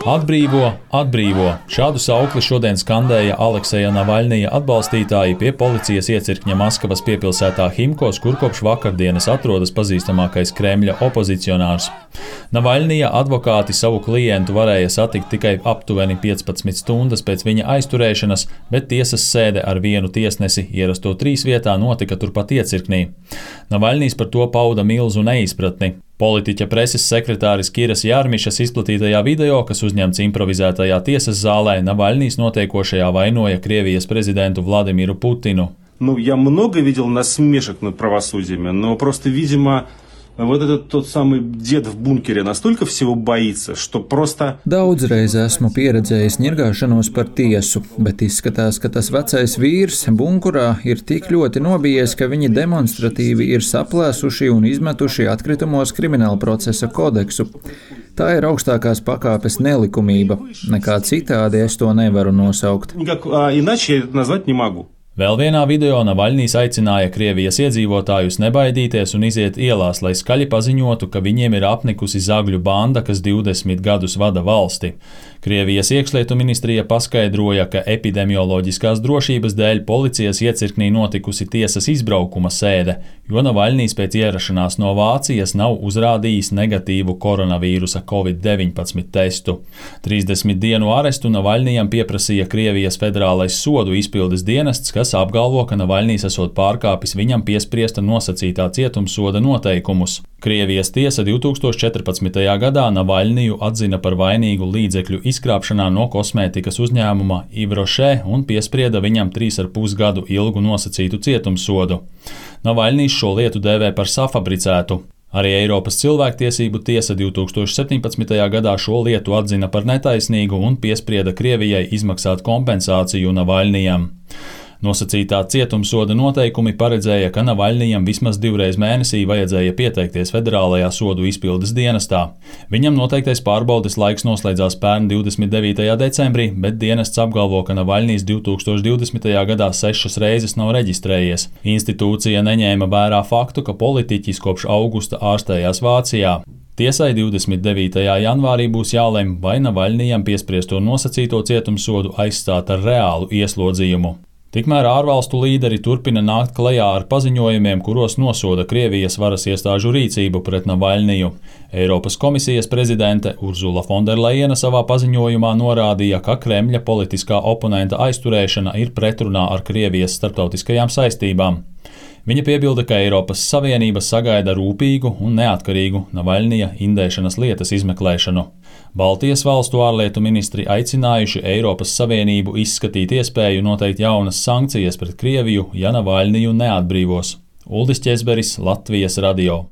Atbrīvo, atbrīvo! Šādu saukli šodien skandēja Alekseja Navaļnija atbalstītāji pie policijas iecirkņa Maskavas piepilsētā Himkos, kur kopš vakardienas atrodas pazīstamākais Kremļa opozicionārs. Navaļnija advokāti savu klientu varēja satikt tikai aptuveni 15 stundas pēc viņa aizturēšanas, bet tiesas sēde ar vienu tiesnesi ierasto 3 vietā notika turpat iecirknī. Navaļnijs par to pauda milzu neizpratni. Politiķa preses sekretāris Kiras Jarmišas izplatītajā video, kas uzņemts improvizētajā tiesas zālē, Navaļnijs notiekošajā vainoja Krievijas prezidentu Vladimiru Putinu. Я много видел насмешек над правосудием, но просто, видимо, вот этот тот самый дед в бункере настолько всего боится, что просто... Daudzreiz esmu pieredzējis ņirgāšanos par tiesu, bet izskatās, ka tas vecais vīrs bunkurā ir tik ļoti nobijies, ka viņi demonstratīvi ir saplēsuši un izmetuši atkritumos krimināla procesa kodeksu. Tā ir augstākās pakāpes nelikumība. Nekā citādi es to nevaru nosaukt. Иначе я это назвать не могу. Vēl vienā video Navaļnijs aicināja Krievijas iedzīvotājus nebaidīties un iziet ielās, lai skaļi paziņotu, ka viņiem ir apnikusi zagļu banda, kas 20 gadus vada valsti. Krievijas iekšlietu ministrija paskaidroja, ka epidemioloģiskās drošības dēļ policijas iecirknī notikusi tiesas izbraukuma sēde, jo Navaļnijs pēc ierašanās no Vācijas nav uzrādījis negatīvu koronavīrusa COVID-19 testu. 30 dienu arestu Navaļnijam pieprasīja Krievijas federālais sodu izpildes dienests, kas apgalvo, ka Navaļnijs esot pārkāpis viņam piespriesta nosacītā cietumsoda noteikumus. Krievijas tiesa 2014. gadā Navaļniju atzina par vainīgu līdzekļu izkrāpšanā no kosmētikas uzņēmuma Yves Rocher un piesprieda viņam 3,5 gadu ilgu nosacītu cietumsodu. Navaļnijs šo lietu dēvē par safabricētu. Arī Eiropas cilvēktiesību tiesa 2017. gadā šo lietu atzina par netaisnīgu un piesprieda Krievijai izmaksāt kompensāciju Navaļnijam. Nosacītā cietumsoda noteikumi paredzēja, ka Navaļnijam vismaz 2 reizes mēnesī vajadzēja pieteikties federālajā sodu izpildes dienestā. Viņam noteiktais pārbaudes laiks noslēdzās pērn 29. decembrī, bet dienests apgalvo, ka Navaļnijs 2020. gadā 6 reizes nav reģistrējies. Institūcija neņēma vērā faktu, ka politiķis kopš augusta ārstējās Vācijā. Tiesai 29. janvārī būs jālemj, vai Navaļnijam piespriesto nosacīto cietumsodu aizstāt ar reālu ieslodzījumu. Tikmēr ārvalstu līderi turpina nākt klajā ar paziņojumiem, kuros nosoda Krievijas varas iestāžu rīcību pret Navaļniju. Eiropas komisijas prezidente Urzula Fonderlejena savā paziņojumā norādīja, ka Kremļa politiskā oponenta aizturēšana ir pretrunā ar Krievijas starptautiskajām saistībām. Viņa piebilda, ka Eiropas Savienība sagaida rūpīgu un neatkarīgu Navaļnija indēšanas lietas izmeklēšanu. Baltijas valstu ārlietu ministri aicinājuši Eiropas Savienību izskatīt iespēju noteikt jaunas sankcijas pret Krieviju, ja Navaļniju neatbrīvos. Uldis Ķezberis, Latvijas radio.